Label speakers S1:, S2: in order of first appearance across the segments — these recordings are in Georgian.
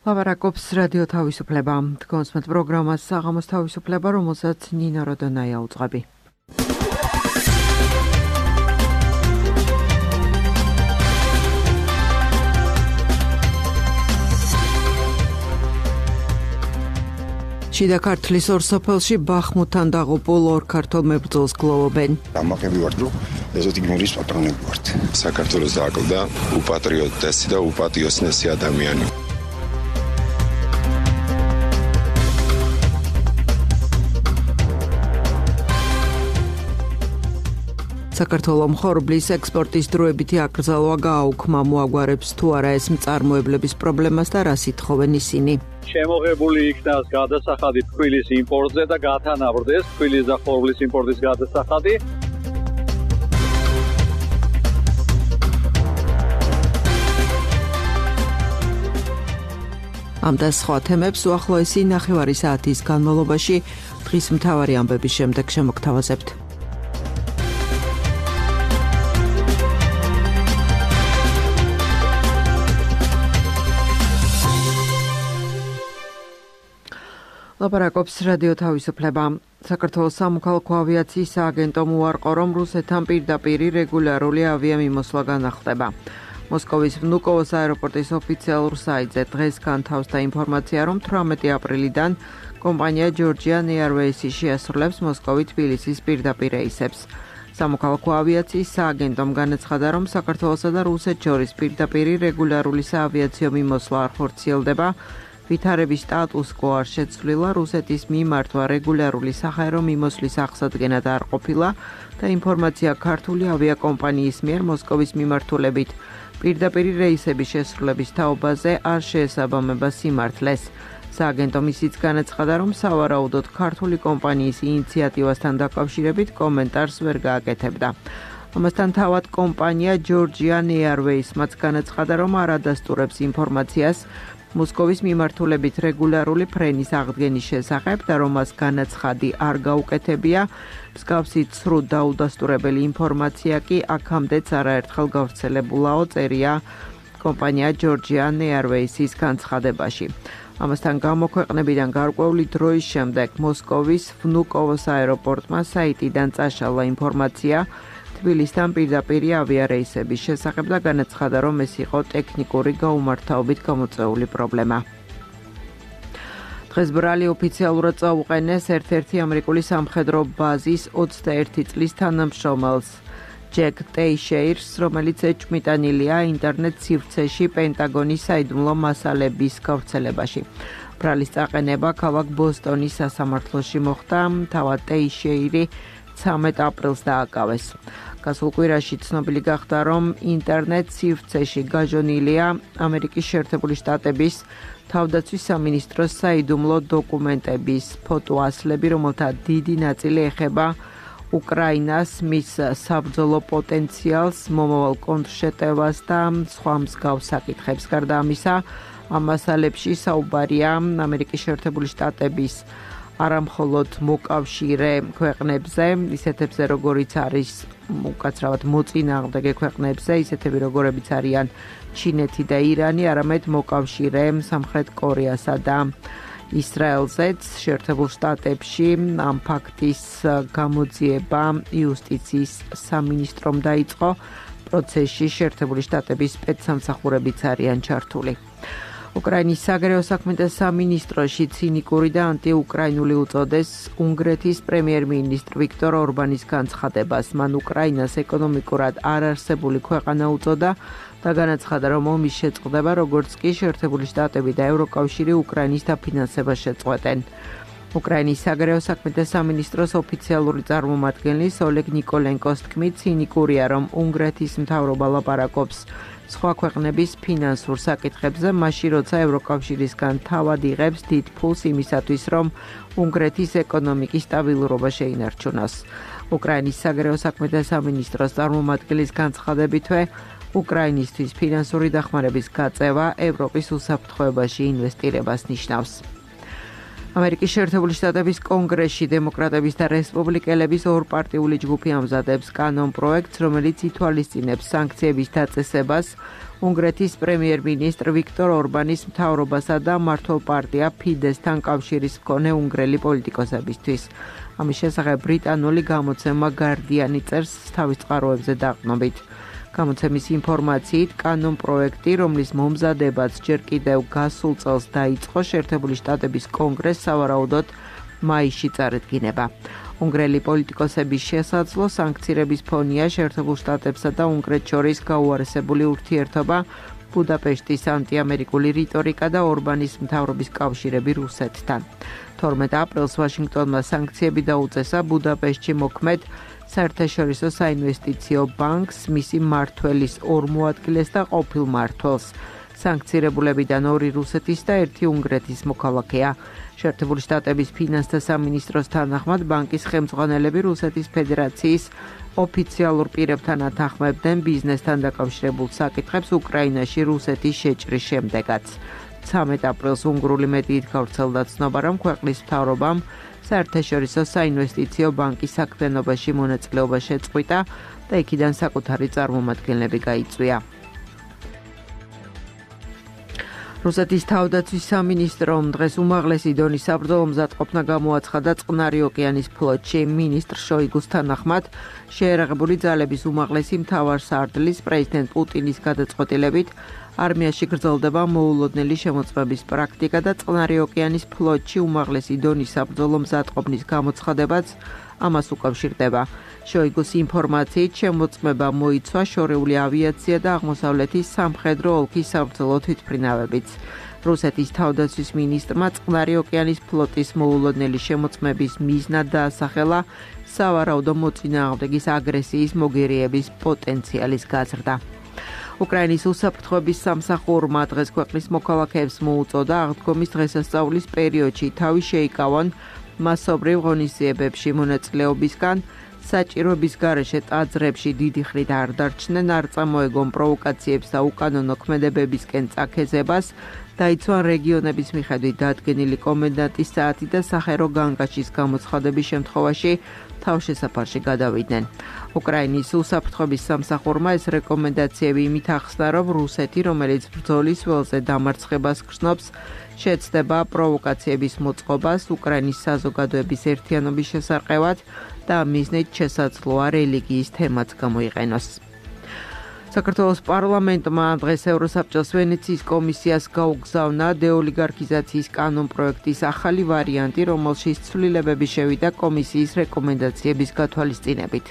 S1: ლაპარაკობს რადიო თავისუფლება. თქვენს პროგრამას საღამოს თავისუფლება, რომელსაც ნინა როდონაია უძღვები. შიდა ქართლის ორ სოფელში ბახმუთთან დაღუპულ ორ ქართველ მებრძოლს გლოვობენ.
S2: ამაყები ვარ, რომ ეზოთი გმირის პატრონები ვართ. საქართველოს დააკლდა უპატრიოტესი და უპატიოსნესი ადამიანი. საქართველოს ხორბლის ექსპორტის დროებითი აკრძალვა გააუქმა, მოაგვარებს თუ არა ეს მწარმოებლების პრობლემას და რას ითხოვენ ისინი.
S3: შემოღებული იქნას გადასახადი თბილისის იმპორტზე და გათანაბრდეს თბილისის და ხორბლის იმპორტის გადასახადი.
S1: ამ და სხვა თემებს უახლოესი ნახევარი საათის განმავლობაში დღის მთავარი ამბების შემდეგ შემოგთავაზებთ. ლაპარაკობს რადიო თავისუფლება. საქართველოს სამოქალაქო ავიაციის სააგენტო უარყო, რომ რუსეთთან პირდაპირ რეგულარული ავიამიმოსვლა განახლდება. მოსკოვის ვნუკოვოს აეროპორტის ოფიციალურ საიტზე დღეს განთავსდა ინფორმაცია, რომ 18 აპრილიდან კომპანია Georgian Airways შეასრულებს მოსკოვი-თბილისის პირდაპირ რეისებს. სამოქალაქო ავიაციის სააგენტომ განაცხადა, რომ საქართველოსა და რუსეთს შორის პირდაპირ რეგულარული საავიაციო მიმოსვლა არ ხორციელდება. ვითარების სტატუს კო არ შეცვლილა, რუსეთის მიმართვა რეგულარული საჰაერო მიმოსვლის აღსადგენად არ ყოფილა და ინფორმაცია ქართული ავიაკომპანიის მიერ მოსკოვის მიმართულებით პირდაპირ რეისების შესრულების თაობაზე არ შეესაბამება სიმართლეს. სააგენტომ ისიც განაცხადა, რომ სავარაუდოდ ქართული კომპანიის ინიციატივასთან დაკავშირებით კომენტარს ვერ გააკეთებდა. ამასთან თავად კომპანია Georgian Airways მათ განაცხადა, რომ არ ადასტურებს ინფორმაციას მოსკოვის მიმართულებით რეგულარული ფრენის აღდგენის შესახებ და რომ მას განაცხადი არ გაუკეთებია, მსგავსი ცრუ დაუდასტურებელი ინფორმაცია კი აქამდეც არაერთხელ გავრცელებულაო, წერია კომპანია Georgian Airways-ის განცხადებაში. ამასთან გამოქვეყნებიდან გარკვეული დროის შემდეგ მოსკოვის ვნუკოვოს აეროპორტმა საიტიდან წაშალა ინფორმაცია თბილისთან პირდაპირ ავიარეისების შესახებ და განაცხადა, რომ ეს იყო ტექნიკური გაუმართავებით გამოწვეული პრობლემა. დღეს ბრალი ოფიციალურად წაუყენეს ერთ-ერთი ამერიკული სამხედრო ბაზის 21 წლის თანამშრომელს, ჯეკ ტეიშეირს, რომელიც ეჭვმიტანილია ინტერნეტ სივრცეში პენტაგონის საიდუმლო მასალების გავრცელებაში. ბრალის წაყენება ქალაქ ბოსტონის სასამართლოში მოხდა, თავად ტეიშეირი 13 აპრილს დააკავეს. გასულ კვირაში ცნობილი გახდა, რომ ინტერნეტ სივრცეში გაჟონილია ამერიკის შეერთებული შტატების თავდაცვის სამინისტროს საიდუმლო დოკუმენტების ფოტოასლები, რომელთა დიდი ნაწილი ეხება უკრაინას, მის საბრძოლო პოტენციალს, მომავალ კონტრშეტევას და სხვა მსგავს საკითხებს. გარდა ამისა, ამ მასალებში საუბარია ამერიკის შეერთებული შტატების არამხოლოდ მოკავშირე ქვეყნებზე, ისეთებზე როგორიც არის უკაცრავად მოწინააღმდეგე ქვეყნებზე, ისეთები როგორებიც არიან ჩინეთი და ირანი, არამედ მოკავშირე სამხრეთ კორეასა და ისრაელზეც. შეერთებულ შტატებში ამ ფაქტის გამოძიება იუსტიციის სამინისტრომ დაიწყო, პროცესში შეერთებული შტატების სპეცსამსახურებიც არიან ჩართული. უკრაინის საგარეო საქმეთა სამინისტროში ცინიკური და ანტიუკრაინული უწოდეს უნგრეთის პრემიერ-მინისტრ ვიქტორ ორბანის განცხადებას. მან უკრაინას ეკონომიკურად არარსებული ქვეყანა უწოდა და განაცხადა, რომ ომის შეწყდება, როგორც კი შეერთებული შტატები და ევროკავშირი უკრაინის დაფინანსებას შეწყვეტენ. უკრაინის საგარეო საქმეთა სამინისტროს ოფიციალური წარმომადგენლის ოლეგ ნიკოლენკოს თქმით, ცინიკურია, რომ უნგრეთის მთავრობა ლაპარაკობს სხვა ქვეყნების ფინანსურ საკითხებზე, მაშინ როცა ევროკავშირისგან თავად იღებს დიდ ფულს იმისათვის, რომ უნგრეთის ეკონომიკის სტაბილურობა შეინარჩუნოს. უკრაინის საგარეო საქმეთა სამინისტროს წარმომადგენლის განცხადებითვე, უკრაინისთვის ფინანსური დახმარების გაწევა ევროპის უსაფრთხოებაში ინვესტირებას ნიშნავს. ამერიკის შეერთებული შტატების კონგრესში დემოკრატების და რესპუბლიკელების ორპარტიული ჯგუფი ამზადებს კანონპროექტს, რომელიც ითვალისწინებს სანქციების დაწესებას უნგრეთის პრემიერ-მინისტრ ვიქტორ ორბანის მთავრობასა და მმართველ პარტია ფიდესთან კავშირის მქონე უნგრელი პოლიტიკოსებისთვის. ამის შესახებ ბრიტანული გამოცემა Guardian წერს თავის წყაროებზე დაყრდნობით. გამოცემის ინფორმაციით, კანონპროექტი, რომლის მომზადებაც ჯერ კიდევ გასულ წელს დაიწყო, შეერთებული შტატების კონგრესს სავარაუდოდ მაისში წარედგინება. უნგრელი პოლიტიკოსების შესაძლო სანქციების ფონია შეერთებულ შტატებსა და უნგრეთს შორის გაუარესებული ურთიერთობა, ბუდაპეშტის ანტიამერიკული რიტორიკა და ორბანის მთავრობის კავშირები რუსეთთან. 12 აპრილს ვაშინგტონმა სანქციები დაუწესა ბუდაპეშტში მოქმედ საერთაშორისო საინვესტიციო ბანკს, მისი მმართველის ორ მოადგილეს და ყოფილ მმართველს. სანქცირებულებიდან 2 რუსეთის და 1 უნგრეთის მოქალაქეა. შეერთებული შტატების ფინანსთა სამინისტროს თანახმად ბანკის ხელმძღვანელები რუსეთის ფედერაციის ოფიციალურ პირებთან ათანხმებდნენ ბიზნესთან დაკავშირებულ საკითხებს უკრაინაში რუსეთის შეჭრის შემდეგაც. 13 აპრილს უნგრული მედიით გავრცელდა ცნობა, რომ ქვეყნის მთავრობამ საერთაშორისო საინვესტიციო ბანკის საქმიანობაში მონაწილეობა შეწყვიტა და იქიდან საკუთარი წარმომადგენლები გაიწვია. რუსეთის თავდაცვის სამინისტრომ დღეს უმაღლესი დონის საბრძოლო მზადყოფნა გამოაცხადა წყნარი ოკეანის ფლოტში. მინისტრ შოიგუს თანახმად შეერაღებული ძალების უმაღლესი მთავარსარდლის პრეზიდენტ პუტინის გადაწყვეტილებით არმიაში გრძელდება მოულოდნელი შემოწმების პრაქტიკა და წყნარი ოკეანის ფლოტში უმაღლესი დონის საბრძოლო მზადყოფნის გამოცხადებაც ამას უკავშირდება. შოიგუს ინფორმაციით შემოწმება მოიცვა შორეული ავიაცია და აღმოსავლეთის სამხედრო ოლქის საბრძოლო თვითმფრინავებიც. რუსეთის თავდაცვის მინისტრმა წყნარი ოკეანის ფლოტის მოულოდნელი შემოწმების მიზნად დაასახელა სავარაუდო მოწინააღმდეგის აგრესიის მოგერიების პოტენციალის გაზრდა. უკრაინის უსაფრთხოების სამსახურმა დღეს ქვეყნის მოქალაქეებს მოუწოდა აღდგომის დღესასწაულის პერიოდში თავი შეიკავონ მასობრივ ღონისძიებებში მონაწილეობისგან, საჭიროების გარეშე ტაძრებში დიდი ხნით არ დარჩნენ, არ წამოეგონ პროვოკაციებს და უკანონო ქმედებებისკენ წაქეზებას, დაიცვან რეგიონების მიხედვით დადგენილი კომენდანტის საათი და სახერო განგაშის გამოცხადების შემთხვევაში თავშესაფარში გადავიდნენ. უკრაინის უსაფრთხოების სამსახურმა ეს რეკომენდაციები იმით ახსნა, რომ რუსეთი, რომელიც ბრძოლის ველზე დამარცხებას გრძნობს, შეცდება პროვოკაციების მოწყობას უკრაინის საზოგადოების ერთიანობის შესარყევად და მიზნით შესაძლოა რელიგიის თემაც გამოიყენოს. საქართველოს პარლამენტმა დღეს ევროსაბჭოს ვენეციის კომისიას გაუგზავნა დეოლიგარქიზაციის კანონპროექტის ახალი ვარიანტი, რომელშიც ცვლილებები შევიდა კომისიის რეკომენდაციების გათვალისწინებით.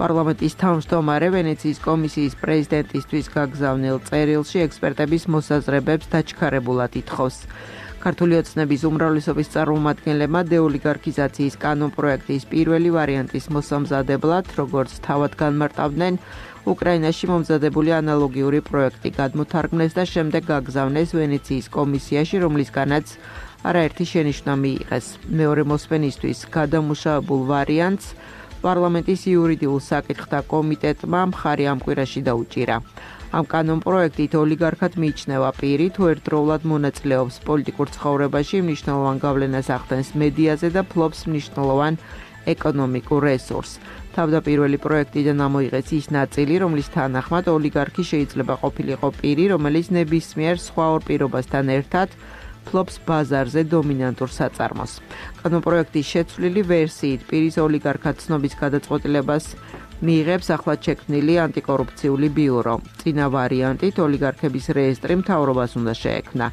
S1: პარლამენტის თავმჯდომარე ვენეციის კომისიის პრეზიდენტისთვის გაგზავნილ წერილში ექსპერტების მოსაზრებებს დაჩქარებულად ითხოვს. ქართული ოცნების უმრავლესობის წარმომადგენლებმა დეოლიგარქიზაციის კანონპროექტის პირველი ვარიანტის მოსამზადებლად, როგორც თავად განმარტავდნენ, უკრაინაში მომზადებული ანალოგიური პროექტი გადმოთარგმნეს და შემდეგ გაგზავნეს ვენეციის კომისიაში, რომლისგანაც არაერთი შენიშვნა მიიღეს. მეორე მოსმენისთვის გადამუშავებულ ვარიანტს პარლამენტის იურიდიულ საკითხთა კომიტეტმა მხარი ამ კვირაში დაუჭირა. ამ კანონპროექტით ოლიგარქად მიიჩნევა პირი, თუ ერთდროულად მონაწილეობს პოლიტიკურ ცხოვრებაში, მნიშვნელოვან გავლენას ახდენს მედიაზე და ფლობს მნიშვნელოვან ეკონომიკურ რესურსს. თავდაპირველი პროექტიდან ამოიღეს ის ნაწილი, რომლის თანახმად ოლიგარქი შეიძლება ყოფილიყო პირი, რომელიც ნებისმიერ სხვა ორ პირობასთან ერთად ფლობს ბაზარზე დომინანტურ საწარმოს. კანონპროექტის შეცვლილი ვერსიით პირის ოლიგარქად ცნობის გადაწყვეტილებას მიიღებს ახლად შექმნილი ანტიკორუფციული ბიურო. წინა ვარიანტით ოლიგარქების რეესტრი მთავრობას უნდა შეექმნა.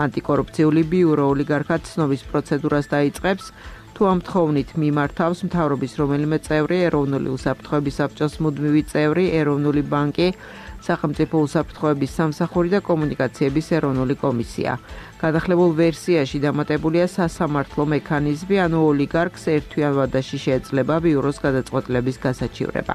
S1: ანტიკორუფციული ბიურო ოლიგარქად ცნობის პროცედურას დაიწყებს, თუ ამ თხოვნით მიმართავს მთავრობის რომელიმე წევრი, ეროვნული უსაფრთხოების საბჭოს მუდმივი წევრი, ეროვნული ბანკი, სახელმწიფო უსაფრთხოების სამსახური და კომუნიკაციების ეროვნული კომისია. გადახლებულ ვერსიაში დამატებულია სასამართლო მექანიზმი, ანუ ოლიგარქს ერთთვიან ვადაში შეეძლება ბიუროს გადაწყვეტილების გასაჩივრება.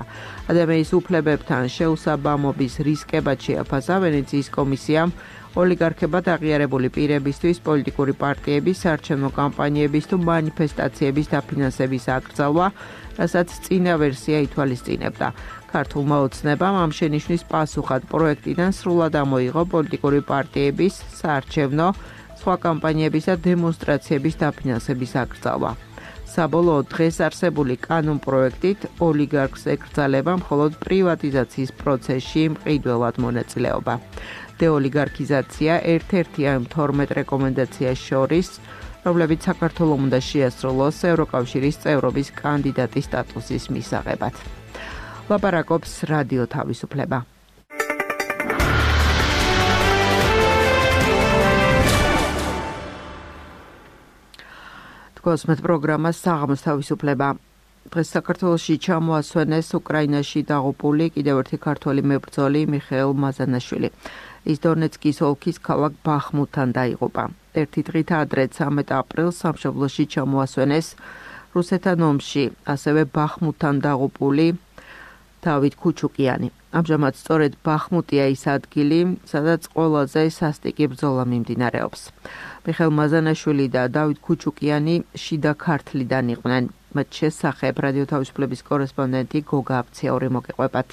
S1: ადამიანის უფლებებთან შეუსაბამობის რისკებად შეაფასა ვენეციის კომისიამ ოლიგარქებად აღიარებული პირებისთვის პოლიტიკური პარტიების, საარჩევნო კამპანიების თუ მანიფესტაციების დაფინანსების აკრძალვა, რასაც წინა ვერსია ითვალისწინებდა. ქართულმა ოცნებამ ამ შენიშვნის პასუხად პროექტიდან სრულად ამოიღო პოლიტიკური პარტიების, საარჩევნო, სხვა კამპანიების და დემონსტრაციების დაფინანსების აკრძალვა. საბოლოოდ დღეს არსებული კანონპროექტით ოლიგარქს ეკრძალება მხოლოდ პრივატიზაციის პროცესში მყიდველად მონაწილეობა. დეოლიგარქიზაცია ერთ-ერთია იმ 12 რეკომენდაციას შორის, რომლებიც საქართველოს უნდა შეასრულოს ევროკავშირის წევრობის კანდიდატის სტატუსის მისაღებად. ლაპარაკობს რადიო თავისუფლება. კოსმეთ პროგრამა საღამოს თავისუფლება. დღეს საქართველოში ჩამოასვენეს უკრაინაში დაღუპული კიდევ ერთი ქართველი მებრძოლი მიხეილ მაზანაშვილი. ის დონეცკის ოლქის ქალაქ ბახმუტთან დაიღუპა. ერთი დღით ადრე 13 აპრილს სამშობლოში ჩამოასვენეს რუსეთთან ომში, ასევე ბახმუტთან დაღუპული დავით ქუჩუკიანი. ამჟამად სწორედ ბახმუტია ის ადგილი, სადაც ყველაზე სასტიკი ბრძოლა მიმდინარეობს. მიხეილ მაზანაშვილი და დავით ქუჩუკიანი შიდა ქართლიდან იყვნენ. მათ შესახებ რადიო თავისუფლების კორესპონდენტი გოგა აფციური მოგეყვებათ.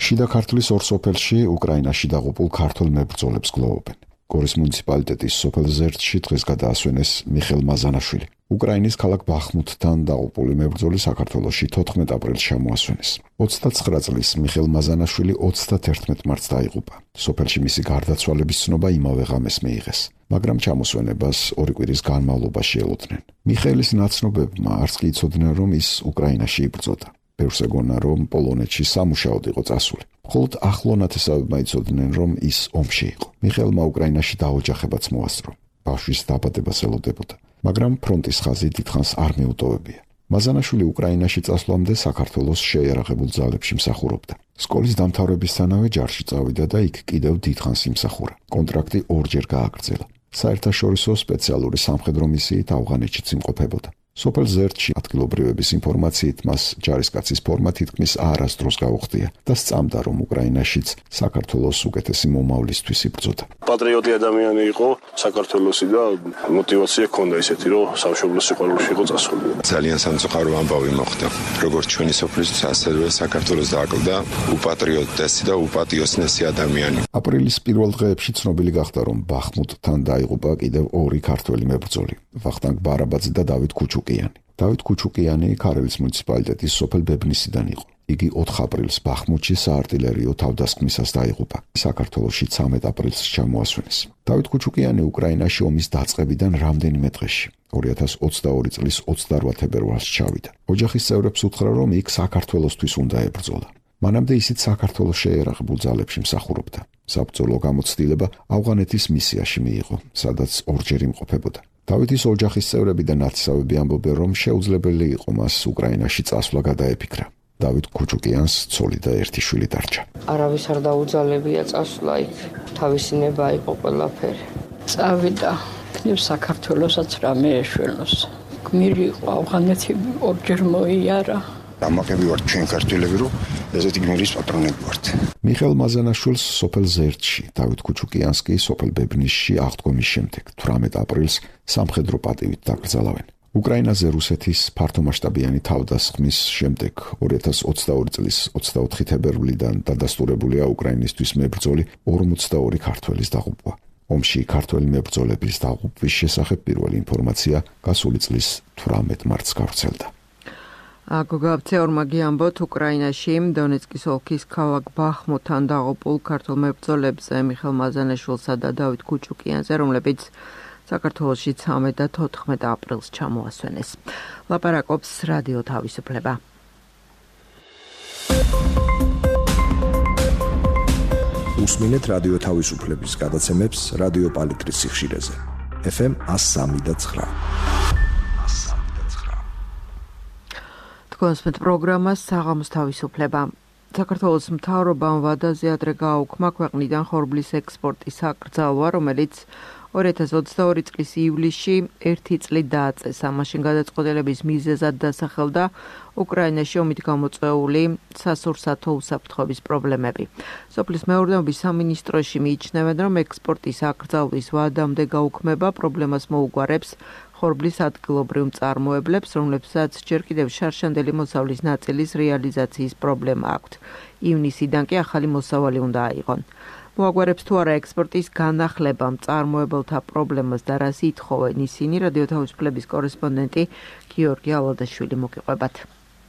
S4: შიდა ქართლის ორ სოფელში უკრაინაში დაღუპულ ქართულ მებრძოლებს გლოვობენ. გორის მუნიციპალიტეტის სოფელ ზერტში დღეს გადაასვენეს მიხეილ მაზანაშვილი. უკრაინის ქალაქ ბახმუტთან დაღუპული მებრძოლი საქართველოში 14 აპრილს ჩამოასვენეს. 29 წლის მიხეილ მაზანაშვილი 31 მარტს დაიღუპა. სოფელში მისი გარდაცვალების ცნობა იმავე ღამეს მიიღეს, მაგრამ ჩამოსვენებას 2 კვირის განმავლობაში ელოდნენ. მიხეილის ნაცნობებმა არც კი იცოდნენ, რომ ის უკრაინაში იბრძოდა. ბევრს ეგონა, რომ პოლონეთში სამუშაოდ იყო წასული. მხოლოდ ახლო ნათესავებმა იცოდნენ, რომ ის ომში იყო. მიხეილმა უკრაინაში დაოჯახებაც მოასწრო. ბავშვის დაბადებას ელოდებოდა, მაგრამ ფრონტის ხაზი დიდხანს არ მიუტოვებია. მაზანაშვილი უკრაინაში წასვლამდე საქართველოს შეიარაღებულ ძალებში მსახურობდა. სკოლის დამთავრებისთანავე ჯარში წავიდა და იქ კიდევ დიდხანს იმსახურა. კონტრაქტი ორჯერ გააგრძელა. საერთაშორისო სპეციალური სამხედრო მისიით ავღანეთშიც იმყოფებოდა. სოფელ ზერტში ადგილობრივების ინფორმაციით მას ჯარისკაცის ფორმა თითქმის არასდროს გაუხდია და სწამდა, რომ უკრაინაშიც საქართველოს უკეთესი მომავლისთვის იბრძოდა.
S5: პატრიოტი ადამიანი იყო საქართველოსი და мотивация ჰქონდა ისეთი, რომ სამშობლოს სიყვარულში იყო წასული.
S6: ძალიან სამწუხარო ამბავი მოხდა. როგორც ჩვენი სოფლისთვის, ასევე საქართველოს დააკლდა უპატრიოტესი და უპატიოსნესი ადამიანი.
S4: აპრილის პირველ დღეებში ცნობილი გახდა, რომ ბახმუტთან დაიღუპა კიდევ 2 ქართველი მებრძოლი, ვახტანგ ბარაბაძე და დავით ქუჩუკიანი. დავით ქუჩუკიანი ქარელის მუნიციპალიტეტის სოფელ ბებნისიდან იყო. იგი 4 აპრილს ბახმუტში საარტილერიო თავდასხმისას დაიღუპა. საქართველოში 13 აპრილს ჩამოასვენეს. დავით ქუჩუკიანი უკრაინაში ომის დაწყებიდან რამდენიმე დღეში 2022 წლის 28 თებერვალს ჩავიდა. ოჯახის წევრებს უთხრა, რომ იქ საქართველოსთვის უნდა ებრძოლა. მანამდე ისიც საქართველოს შეიარაღებულ ძალებში მსახურობდა. საბრძოლო გამოცდილება ავღანეთის მისიაში მიიღო, სადაც ორჯერ იმყოფებოდა. დავითის ოჯახის წევრები და ნათესავები ამბობენ, რომ შეუძლებელი იყო მას უკრაინაში წასვლა გადაეფიქრა. დავით ქუჩუკიანს ცოლი და ერთი შვილი დარჩა.
S7: არავის არ დაუძალებია წასვლა იქ, თავისი ნება იყო ყველაფერი. წავიდა, იქნებ საქართველოსაც რამე ეშველოს. გმირი იყო ავღანეთი ორჯერ მოიარა.
S8: ამაკები ვართ ჩვენ ქართველები, რომ ესეთი გმირის პატრონები ვართ.
S4: მიხეილ მაზანაშვილს სოფელ ზერტში, დავით ქუჩუკიანს კი სოფელ ბებნისში აღდგომის შემდეგ 18 აპრილს სამხედრო პატივით დაკრძალავენ. უკრაინაზე რუსეთის ფართომასშტაბიანი თავდასხმის შემდეგ 2022 წლის 24 თებერვლიდან დადასტურებულია უკრაინისთვის მებრძოლი 42 ქართველის დაღუპვა. ომში ქართველი მებრძოლების დაღუპვის შესახებ პირველი ინფორმაცია გასული წლის 18 მარტს გავრცელდა.
S1: გოგა აფცეურმა გიამბოთ, უკრაინაში დონეცკის ოლქის ქალაქ ბახმუტთან დაღუპულ ქართულ მებრძოლებზე მიხეილ მაზანაშვილსა და დავით ქუჩუკიანზე, რომლებიც საქართველოში 13 და 14 აპრილს ჩამოასვენეს. ლაპარაკობს რადიო თავისუფლება.
S9: უსმინეთ რადიო თავისუფლების გადაცემებს რადიო პალიტრის სიხშირეზე. FM 103.9.
S1: კოსმეთ პროგრამა საღამოს თავისუფლება. საქართველოს მთავრობამ ვადაზე ადრე გააუქმა ქვეყნიდან ხორბლის ექსპორტის აკრძალვა, რომელიც 2022 წლის ივლისში 1 წლით დააწესა. მაშინ გადაწყვეტილების მიზეზად დასახელდა უკრაინაში ომით გამოწვეული სასურსათო უსაფრთხოების პრობლემები. სოფლის მეურნეობის სამინისტროში მიიჩნევენ, რომ ექსპორტის აკრძალვის ვადამდე გაუქმება პრობლემას მოუგვარებს ხორბლის ადგილობრივ მწარმოებლებს, რომლებსაც ჯერ კიდევ შარშანდელი მოსავლის ნაწილის რეალიზაციის პრობლემა აქვთ. ივნისიდან კი ახალი მოსავალი უნდა აიღონ. მოაგვარებს თუ არა ექსპორტის განახლება მწარმოებელთა პრობლემას და რას ითხოვენ ისინი, რადიო თავისუფლების კორესპონდენტი გიორგი ალადაშვილი მოგიყვებათ.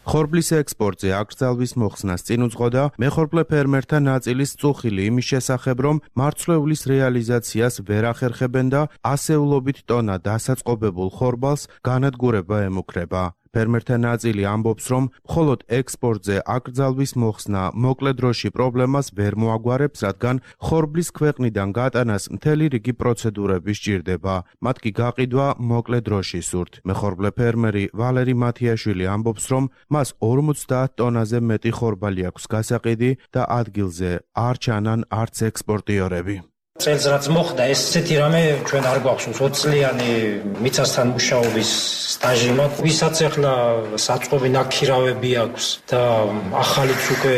S10: ხორბლის ექსპორტზე აკრძალვის მოხსნას წინ უძღოდა მეხორბლე ფერმერთა ნაწილის წუხილი იმის შესახებ, რომ მარცვლეულის რეალიზაციას ვერ ახერხებენ და ასეულობით ტონა დასაწყობებულ ხორბალს განადგურება ემუქრება. ფერმერთა ნაწილი ამბობს, რომ მხოლოდ ექსპორტზე აკრძალვის მოხსნა მოკლე დროში პრობლემას ვერ მოაგვარებს, რადგან ხორბლის ქვეყნიდან გატანას მთელი რიგი პროცედურები სჭირდება. მათ კი გაყიდვა მოკლე დროში სურთ. მეხორბლე ფერმერი ვალერი მათიაშვილი ამბობს, რომ მას 50 ტონაზე მეტი ხორბალი აქვს გასაყიდი და ადგილზე არ ჩანან არც ექსპორტიორები.
S11: წელს რაც მოხდა, ესეთი რამე ჩვენ არ გვაქვს 20 წლიანი მიწასთან მუშაობის სტაჟი მაქვს. ვისაც ახლა საწყობი ნაქირავები აქვს და ახალიც უკვე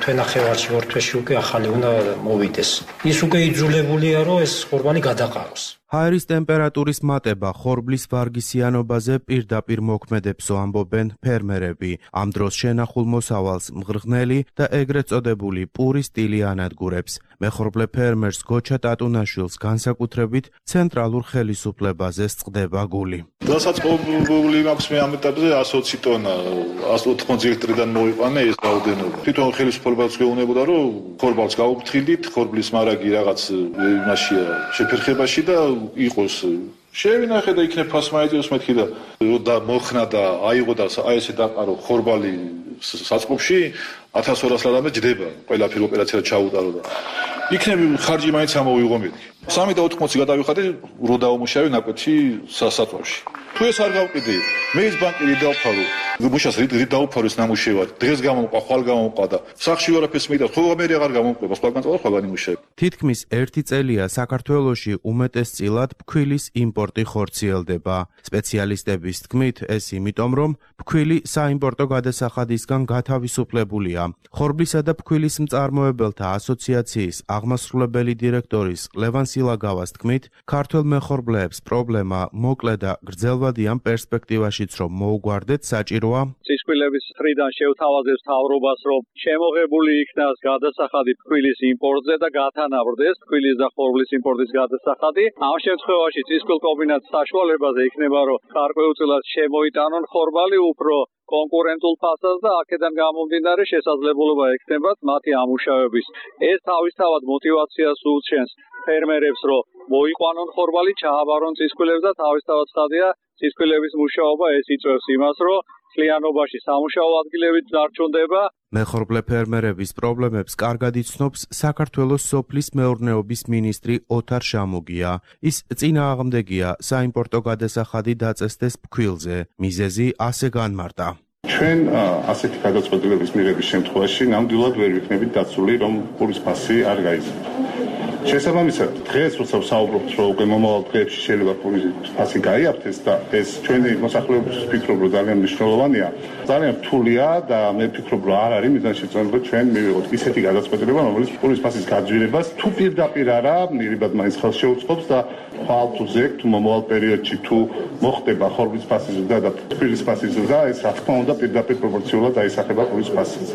S11: თვენახევარში ორ თვეში უკვე ახალი უნდა მოვიდეს. ის უკვე იძულებულია, რომ ეს ხორბალი გადაყაროს.
S10: ჰაერის ტემპერატურის მატება ხორბლის ვარგისიანობაზე პირდაპირ მოქმედებსო ამბობენ ფერმერები. ამ დროს შენახულ მოსავალს მღრღნელი და ეგრეთ წოდებული პური სტილი ანადგურებს. მეხორბლე ფერმერს გოჩა ტატუნაშვილს განსაკუთრებით ცენტრალურ ხელისუფლებაზე სწყდება გული.
S12: დასაწყობილი მაქვს მე ამ ეტაპზე 120 ტონა, 180 ლიტრიდან მოვიყვანე ეს რაოდენობა. თვითონ ხელისუფლებაც გეუბნებოდა, რომ ხორბალს გაუფრთხილდით, ხორბლის მარაგი რაღაც იმაშია შეფერხებაში და იყოს შევინახე და იქნებ ფასმაიტიოს მეთქი და მოხნა და აიღო და აი ესე დაყარო ხორბალი საწყობში 1200 ლარამდე ჯდება ყველაფერი ოპერაცია ჩაუტარო და იქნები ხარჯი მაინც ამოვიღო მეთქი 3 და 80 გადავიხადე რო დაუმუშავე ნაკვეთში სასაწვავში თუ ეს არ გავყიდი მე ის ბანკი დავფარო მუშას რით დავფარო ეს ნამუშევარი დღეს გამომყვა ხვალ გამომყვა და სახში ვარაფერს მიდარ ხო მე აღარ გამომყვა სხვაგან წავალ სხვაგან იმუშავე
S10: თითქმის 1 წელია საქართველოში უმეტესწილად ფქვილის იმპორტი ხორციელდება სპეციალისტების თქმით ეს იმიტომ რომ ფქვილი საიმპორტო გადასახადისგან გათავისუფლებულია ხორბლისა და ფქვილის მწარმოებელთა ასოციაციის აღმასრულებელი დირექტორის ლევან სილაგავას თქმით ქართველ მეხორბლეებს პრობლემა მოკლე და გრძელვადიან პერსპექტივაშიც რომ მოუგვარდეთ საჭიროა
S3: წისქვილების მხრიდან შევთავაზებს მთავრობას რომ შემოღებული იქნას გადასახადი ფქვილის იმპორტზე და გათანაბრდეს ფქვილის და ხორბლის იმპორტის გადასახადი ამ შემთხვევაში წისქვილ კომბინატს საშუალებაზე იქნება რომ გარკვეულწილად შემოიტანონ ხორბალი უფრო კონკურენტულ ფასას და აქედან გამომდინარე შესაძლებლობა ექნებათ მათი ამუშავების ეს თავისთავად მოტივაციას უჩენს ფერმერებს რომ მოიყვანონ ხორბალი ჩააბარონ წისქვილებს და თავისთავად ხადია წისქვილების მუშაობა ეს იწვევს იმას რომ მთლიანობაში სამუშაო ადგილები დარჩუნდება
S10: მეხორბლე ფერმერების პრობლემებს კარგად იცნობს საქართველოს სოფლის მეურნეობის მინისტრი ოთარ შამუგია ის წინააღმდეგია საიმპორტო გადასახადი დაწესდეს ფქვილზე მიზეზი ასე განმარტა
S12: ჩვენ ასეთი გადაწყვეტილების მიღების შემთხვევაში ნამდვილად ვერ ვიქნებით დაცული რომ პურის ფასი არ გაიზარდოს შესაბამისად დღეს როცა ვსაუბრობთ რომ უკვე მომავალ დღეებში შეიძლება პურის ფასი გაიაფთეს და ეს ჩვენი მოსახლეობის ვფიქრობ რომ ძალიან მნიშვნელოვანია ძალიან რთულია და მე ვფიქრობ რომ არ არის მიზანშეწონილება ჩვენ მივიღოთ ისეთი გადაწყვეტილება რომელიც პურის ფასის გაძვირებას თუ პირდაპირ არა მიღებად მაინც ხელს შეუწყობს და ხვალ თუ ზეგ თუ მომავალ პერიოდში თუ მოხდება ხორბლის ფასის ზრდა და ფქვილის ფასის ზრდა ეს რა თქმა უნდა პირდაპირ პროპორციულად აისახება პურის ფასის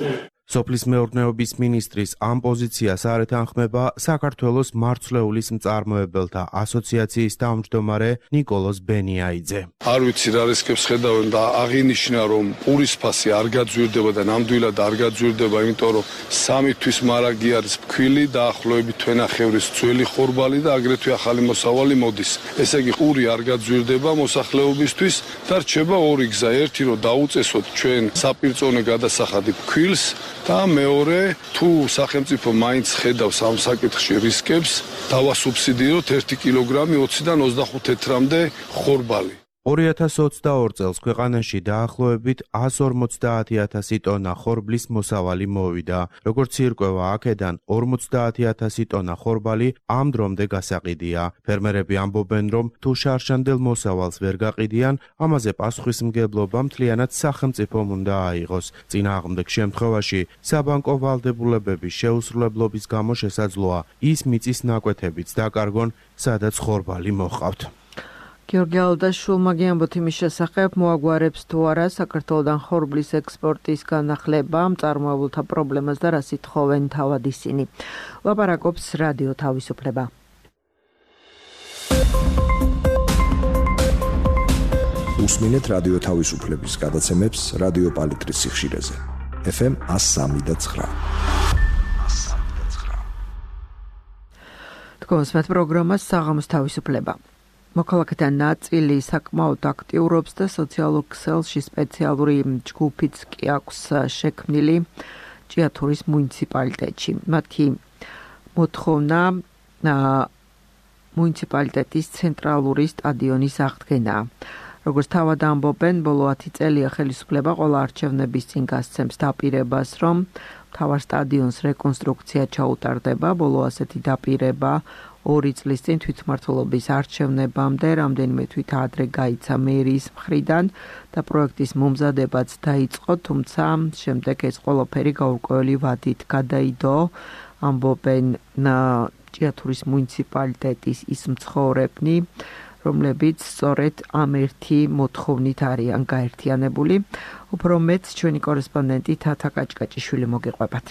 S10: სოფლის მეურნეობის მინისტრის ამ პოზიციას არ ეთანხმება საქართველოს მარცვლეულის მწარმოებელთა ასოციაციის თავმჯდომარე ნიკოლოზ ბენიაიძე.
S5: არ ვიცი რა რისკებს ხედავენ და აღინიშნა რომ პურის ფასი არ გაძვირდება და ნამდვილად არ გაძვირდება, იმიტომ რომ 3 თვის მარაგი არის ფქვილი და ახლოებით თვენახევრის ძველი ხორბალი და აგრეთვე ახალი მოსავალი მოდის. ესე იგი პური არ გაძვირდება მოსახლეობისთვის და რჩება ორი გზა. ერთი რომ დაუწესოთ ჩვენ საპირწონე გადასახადი ფქვილს და მეორე თუ სახელმწიფო მაინც ხედავს ამ საკითხში რისკებს დავასუბსიდიროთ 1 კილოგრამი 20-დან 25 თეთრამდე ხორბალი
S10: 2022 წელს ქვეყანაში დაახლოებით 150.000 ტონა ხორბლის მოსავალი მოვიდა. როგორც ირკვევა აქედან 50.000 ტონა ხორბალი ამ დრომდე გასაყიდია. ფერმერები ამბობენ, რომ თუ შარშანდელ მოსავალს ვერ გაყიდიან, ამაზე პასუხისმგებლობა მთლიანად სახელმწიფომ უნდა აიღოს. წინააღმდეგ შემთხვევაში საბანკო ვალდებულებების შეუსრულებლობის გამო შესაძლოა ის მიწის ნაკვეთებიც დაკარგონ, სადაც ხორბალი მოჰყავთ.
S1: გიორგი ალდაშვილმა გიამბოთ იმის შესახებ, მოაგვარებს თუ არა საქართველოდან ხორბლის ექსპორტის განახლება, მწარმოებელთა პრობლემას და რას ითხოვენ თავად ისინი. ლაპარაკობს რადიო თავისუფლება.
S9: უსმინეთ რადიო თავისუფლების გადაცემებს რადიო პალიტრის სიხშირეზე. FM 103.9.
S1: თქვენს პროგრამას საღამოს თავისუფლება. მოქალაქეთა ნაწილი საკმაოდ აქტიურობს და სოციალურ ქსელში სპეციალური ჯგუფიც კი აქვს შექმნილი ჭიათურის მუნიციპალიტეტში. მათი მოთხოვნა მუნიციპალიტეტის ცენტრალური სტადიონის აღდგენაა. როგორც თავად ამბობენ, ბოლო 10 წელია ხელისუფლება ყველა არჩევნების წინ გასცემს დაპირებას, რომ მთავარ სტადიონს რეკონსტრუქცია ჩაუტარდება. ბოლო ასეთი დაპირება 2 წლის წინ თვითმმართველობის არჩევნებამდე რამდენიმე თვით ადრე გაიცა მერის მხრიდან და პროექტის მომზადებაც დაიწყო, თუმცა შემდეგ ეს ყველაფერი გაურკვეველი ვადით გადაიდო, ამბობენ ჭიათურის მუნიციპალიტეტის ის მცხოვრებნი, რომლებიც სწორედ ამ ერთი მოთხოვნით არიან გაერთიანებული. უფრო მეტ ჩვენი კორესპონდენტი თათა კაჭკაჭიშვილი მოგიყვებათ.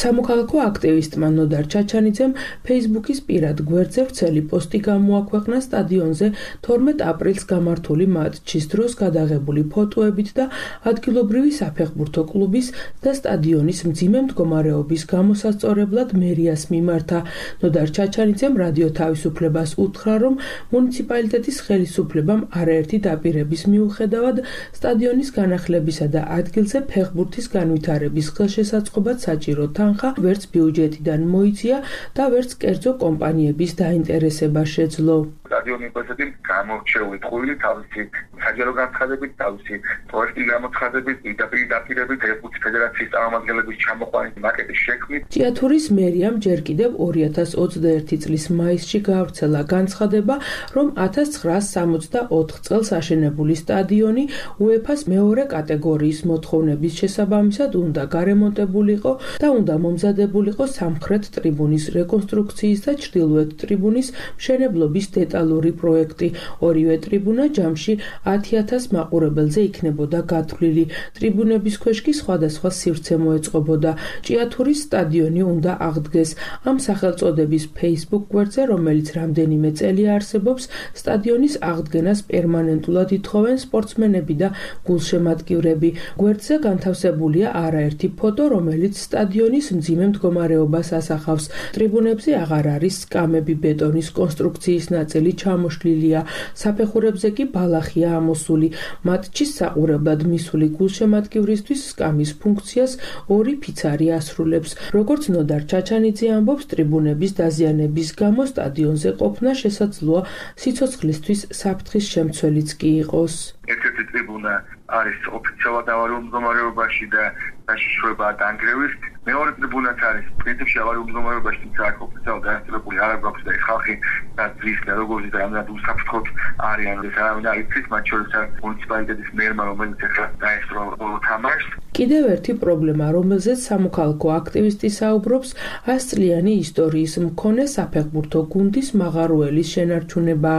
S13: სამოქალაქო აქტივისტმა ნოდარ ჩაჩანიძემ Facebook-ის პირად გვერდზე ვრცელი პოსტი გამოაქვეყნა სტადიონზე 12 აპრილს გამართული მატჩის დროს გადაღებული ფოტოებით და ადგილობრივი საფეხბურთო კლუბის და სტადიონის მძიმე მდგომარეობის გამოსასწორებლად მერიას მიმართა. ნოდარ ჩაჩანიძემ რადიო თავისუფლებას უთხრა, რომ მუნიციპალიტეტის ხელისუფლებამ არაერთი დაპირების მიუხედავად სტადიონის განახლებისა და ადგილზე ფეხბურთის განვითარების ხელშესაწყობად საჭირო თანხა ვერც ბიუჯეტიდან მოიწია და ვერც კერძო კომპანიების დაინტერესება შეძლო.
S14: სტადიონი პოსტი გამორჩეული ტყუილი თავისი საჯარო განცხადებით, თავისი პროექტი გამოცხადებით, პირდაპირ დაპირებით ფეხბურთის ფედერაციის წარმომადგენლების ჩამოყვანით მაკეტის შექმნით.
S13: ჭიათურის მერიამ ჯერ კიდევ 2021 წლის მაისში გაავრცელა განცხადება, რომ 1964 წელს აშენებული სტადიონი UEFA-ს მეორე კატეგორიის მოთხოვნების შესაბამისად უნდა გარემონტებულიყო და უნდა მომზადებულიყო სამხრეთ ტრიბუნის რეკონსტრუქციის და ჩრდილოეთ ტრიბუნის მშენებლობის დეტალური პროექტი. ორივე ტრიბუნა ჯამში 10,000 მაყურებელზე იქნებოდა გათვლილი. ტრიბუნების ქვეშ კი სხვადასხვა სივრცე მოეწყობოდა. ჭიათურის სტადიონი უნდა აღდგეს. ამ სახელწოდების Facebook გვერდზე, რომელიც რამდენიმე წელი არსებობს, სტადიონის აღდგენას პერმანენტულად ითხოვენ სპორტსმენები და გულშემატკივრები. გვერდზე განთავსებულია არაერთი ფოტო, რომელიც სტადიონის მძიმე მდგომარეობას ასახავს. ტრიბუნებზე აღარ არის სკამები, ბეტონის კონსტრუქციის ნაწილი ჩამოშლილია. საფეხურებზე კი ბალახია ამოსული. მატჩის საყურებლად მისული გულშემატკივრისთვის სკამის ფუნქციას 2 ფიცარი ასრულებს. როგორც ნოდარ ჩაჩანიძე ამბობს, ტრიბუნების დაზიანების გამო სტადიონზე ყოფნა შესაძლოა სიცოცხლისთვის საფრთხის შემცველიც კი იყოს.
S14: ერთ-ერთი ტრიბუნა არის ოფიციალურად ავარიულ მდგომარეობაში და დაშიშვლება დანგრევის. მეორე ტრიბუნაც არის პრინციპში ავარიულ მდგომარეობაში, თუმცა აქ ოფიციალურად დაინსტალებული არ აქვს და ხალხი დაძრის და როგორც და რამდენად უსაფრთხოდ არიან. ეს არავინ არ იცის, მათ შორის მუნიციპალიტეტის მერმა, რომელიც ახლა დაესწრო ბოლო თამაშს.
S13: კიდევ ერთი პრობლემა, რომელზეც სამოქალაქო აქტივისტი საუბრობს, 100 წლიანი ისტორიის მქონე საფეხბურთო გუნდის მაღაროელის შენარჩუნება.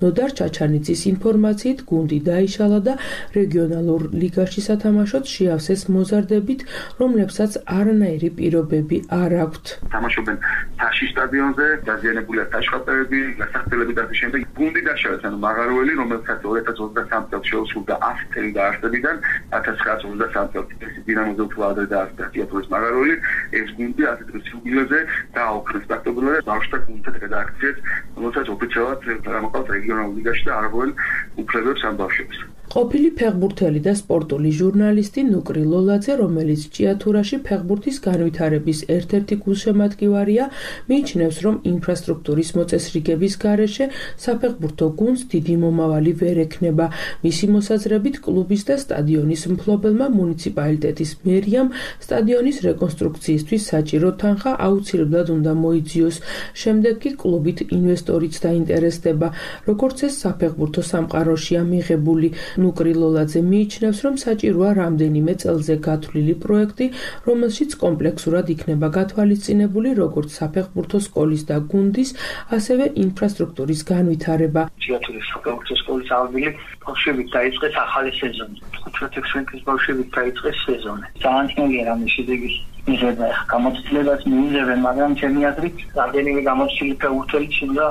S13: ნოდარ ჩაჩანიძის ინფორმაციით, გუნდი დაიშალა და რეგიონალურ ლიგაში სათამაშოდ შეავსეს მოზარდებით, რომლებსაც არანაირი პირობები არ აქვთ.
S14: თამაშობენ თაში სტადიონზე, დაზიანებულია საშხატეები, გასახდელები და შემდეგ გუნდი დაშალეს, ანუ მაღაროელი, რომელსაც 2023 წელს შეუსრულდა 100 წელი დაარსებიდან, 1923 წელს დინამოზე უფრო ადრე დაარსდა ჭიათურის მაღაროელი. ეს გუნდი 100 წლის იუბილეზე დააუქრეს პრაქტიკულად და ბავშვთა გუნდთან რედაქციას, რომელსაც ოფიციალურად გამოყავს რეგიონალურ ლიგაში და არაგველ უფლებებს ამ ბავშვებს.
S13: ყოფილი ფეხბურთელი და სპორტული ჟურნალისტი ნუკრი ლოლაძე, რომელიც ჭიათურაში ფეხბურთის განვითარების ერთ-ერთი გულშემატკივარია, მიიჩნევს, რომ ინფრასტრუქტურის მოწესრიგების გარეშე საფეხბურთო გუნდს დიდი მომავალი ვერ ექნება. მისი მოსაზრებით, კლუბის და სტადიონის მფლობელმა მუნიციპალიტეტის მერიამ სტადიონის რეკონსტრუქციისთვის საჭირო თანხა აუცილებლად უნდა მოიძიოს. შემდეგ კი კლუბით ინვესტორიც დაინტერესდება, როგორც ეს საფეხბურთო სამყაროშია მიღებული. ნუკრი ლოლაძე მიიჩნევს, რომ საჭიროა რამდენიმე წელზე გათვლილი პროექტი, რომელშიც კომპლექსურად იქნება გათვალისწინებული როგორც საფეხბურთო სკოლის და გუნდის, ასევე ინფრასტრუქტურის განვითარება.
S15: ჭიათურის საფეხბურთო სკოლის აღდგენით ბავშვებით დაიწყეს ახალი სეზონი. 15-16 წლის ბავშვებით დაიწყეს სეზონი. ძალიან ძნელია რამე შედეგის მიღება. გამოცდილებას მიიღებენ, მაგრამ ჩემი აზრით, რამდენიმე გამოცდილი ფეხბურთელიც უნდა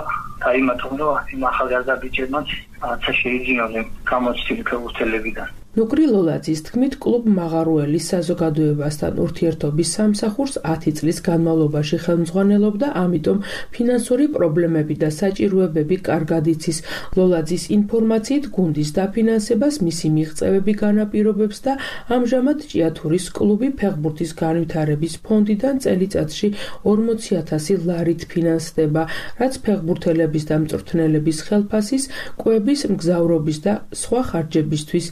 S15: დაიმატონ, რომ იმ ახალგაზრდა ბიჭებმაც რაღაცა შეიძინონ გამოცდილი ფეხბურთელებიდან.
S13: ნუკრი ლოლაძის თქმით, კლუბ მაღაროელის საზოგადოებასთან ურთიერთობის სამსახურს 10 წლის განმავლობაში ხელმძღვანელობდა, ამიტომ ფინანსური პრობლემები და საჭიროებები კარგად იცის. ლოლაძის ინფორმაციით, გუნდის დაფინანსებას მისი მიღწევები განაპირობებს და ამჟამად ჭიათურის კლუბი ფეხბურთის განვითარების ფონდიდან წელიწადში 40,000 ლარით ფინანსდება, რაც ფეხბურთელების და მწვრთნელების ხელფასის, კვების, მგზავრობის და სხვა ხარჯებისთვის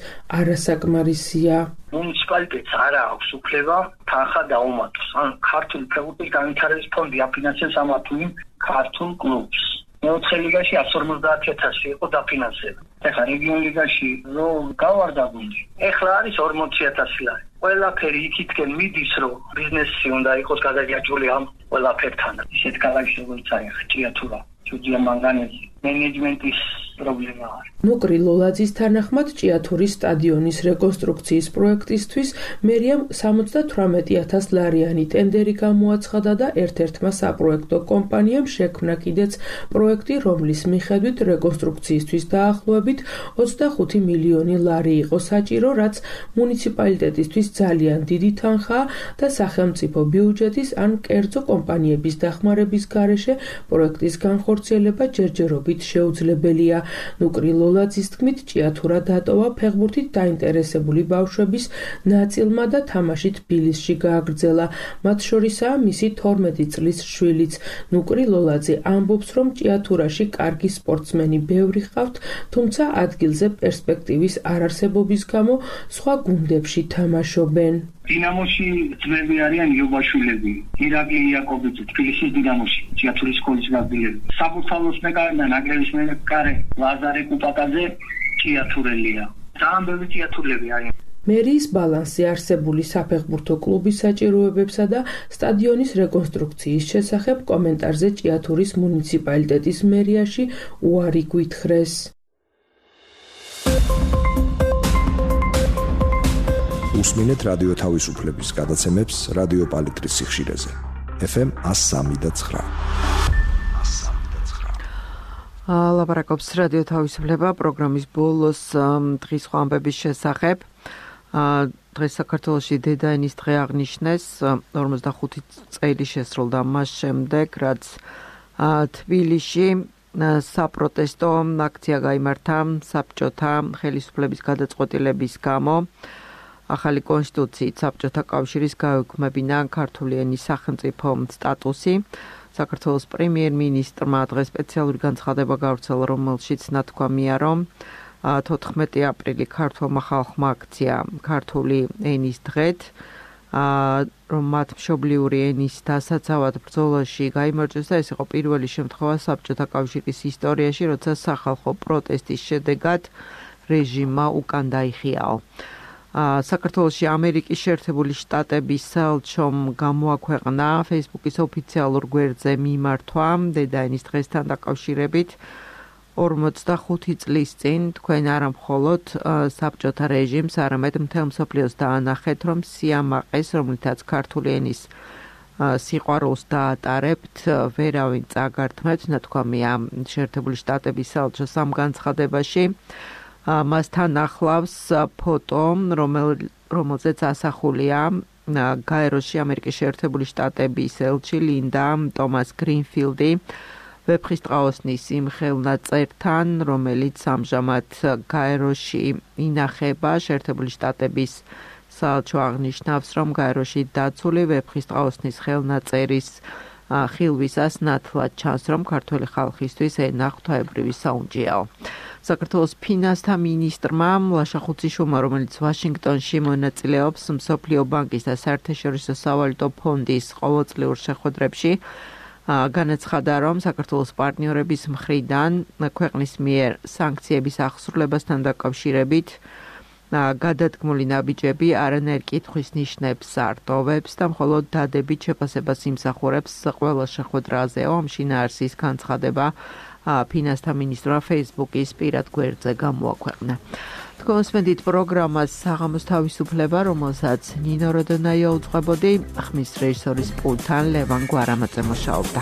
S13: არასაკმარისია.
S15: მუნიციპალიტეტს არ აქვს უფლება თანხა დაუმატოს. ან ქართული ფეხბურთის განვითარების ფონდი აფინანსებს ამ თუიმ ქართულ კლუბს. მეოთხე ლიგაში 150,000 იყო დაფინანსება. ეხლა რეგიონ ლიგაში რო გავარდა გუნდი. ეხლა არის 40,000 ლარი. ყველაფერი იქითკენ მიდის, რომ ბიზნესი უნდა იყოს გადაჭრილი ამ ყველაფერთან. ისეთ ქალაქში როგორც არის ჭიათურა, ჯუდია მანგანეზი, მენეჯმენტის პრობლემა არის.
S13: ნუკრი ლოლაძის თანახმად ჭიათურის სტადიონის რეკონსტრუქციის პროექტისთვის მერიამ 78,000 ლარიანი ტენდერი გამოაცხადა და ერთ-ერთმა საპროექტო კომპანიამ შექმნა კიდეც პროექტი, რომლის მიხედვით რეკონსტრუქციისთვის დაახლოებით 25 მილიონი ლარი იყო საჭირო, რაც მუნიციპალიტეტისთვის ძალიან დიდი თანხაა და სახელმწიფო ბიუჯეტის ან კერძო კომპანიების დახმარების გარეშე პროექტის განხორციელება ჯერჯერობით შეუძლებელია. ნუკრი ლოლაძის თქმით, ჭიათურა დატოვა ფეხბურთით დაინტერესებული ბავშვების ნაწილმა და თამაში თბილისში გააგრძელა. მათ შორისაა მისი 12 წლის შვილიც. ნუკრი ლოლაძე ამბობს, რომ ჭიათურაში კარგი სპორტსმენი ბევრი ჰყავთ, თუმცა ადგილზე პერსპექტივის არარსებობის გამო სხვა გუნდებში თამაშობენ.
S15: დინამოში ძმები არიან იობაშვილები, ირაკლი იაკობიძე, თბილისის დინამოში, ჭიათურის სკოლის გაგბილები. საბურთალოს მეკარე და ნაკრების მეკარე ლაზარე კუპაკაძე ჭიათურელია. ძალიან ბევრი ჭიათურელები არიან.
S13: მერიის ბალანსზე არსებული საფეხბურთო კლუბის საჭიროებებსა და სტადიონის რეკონსტრუქციის შესახებ კომენტარზე ჭიათურის მუნიციპალიტეტის მერიაში უარი გვითხრეს.
S9: უსმინეთ რადიო თავისუფლების გადაცემებს რადიო პალიტრის სიხშირეზე. FM 103.9.
S1: ლაპარაკობს რადიო თავისუფლება პროგრამის ბოლოს დღის ხვამბების შესახებ. დღეს საქართველოში დედაენის დღე აღნიშნეს, 45 წელი შესრულდა მას შემდეგ, რაც თბილისში საპროტესტო აქცია გაიმართა საბჭოთა ხელისუფლების გადაწყვეტილების გამო. ახალი კონსტიტუციით საბჭოთა კავშირის გაეუქმებინა ქართული ენის სახელმწიფო სტატუსი. საქართველოს პრემიერ-მინისტრმა დღეს სპეციალური განცხადება გავრცელა, რომელშიც ნათქვამია, რომ 14 აპრილი ქართულმა ხალხმა აქცია ქართული ენის დღეთ, რომ მათ მშობლიური ენის დასაცავად ბრძოლაში გაიმარჯვეს და ეს იყო პირველი შემთხვევა საბჭოთა კავშირის ისტორიაში, როცა სახალხო პროტესტის შედეგად რეჟიმმა უკან დაიხიაო. საქართველოში ამერიკის შეერთებული შტატების საელჩომ გამოაქვეყნა Facebook-ის ოფიციალურ გვერდზე მიმართვა დედაენის დღესთან დაკავშირებით 45 წლის წინ თქვენ არა მხოლოდ საბჭოთა რეჟიმს, არამედ მთელ მსოფლიოს დაანახეთ, რომ სიამაყეს, რომლითაც ქართული ენის სიყვარულს დაატარებთ, ვერავინ წაგართმევთ, ნათქვამია შეერთებული შტატების საელჩოს ამ განცხადებაში. მასთან ახლავს ფოტო, რომელზეც ასახულია გაეროში ამერიკის შეერთებული შტატების ელჩი ლინდა ტომას გრინფილდი ვეფხისტყაოსნის იმ ხელნაწერთან, რომელიც ამჟამად გაეროში ინახება. შეერთებული შტატების საელჩო აღნიშნავს, რომ გაეროში დაცული ვეფხისტყაოსნის ხელნაწერის ხილვისას ნათლად ჩანს, რომ ქართველი ხალხისთვის ენა ღვთაებრივი საუნჯეაო. საქართველოს ფინანსთა მინისტრმა ლაშა ხუციშვილმა, რომელიც ვაშინგტონში მონაწილეობს მსოფლიო ბანკის და საერთაშორისო სავალუტო ფონდის ყოველწლიურ შეხვედრებში, განაცხადა, რომ საქართველოს პარტნიორების მხრიდან ქვეყნის მიერ სანქციების აღსრულებასთან დაკავშირებით გადადგმული ნაბიჯები არანაირ კითხვის ნიშნებს არ ტოვებს და მხოლოდ დადებით შეფასებას იმსახურებს ყველა შეხვედრაზე. შინაარსის განცხადება ფინანსთა მინისტრმა Facebook-ის პირად გვერდზე გამოაქვეყნა. თქვენსმენდით პროგრამას საღამოს თავისუფლება, რომელსაც ნინო როდონაია უძღვებოდი, ხმის რეჟისორის პულტთან ლევან გვარამაძე მუშაობდა.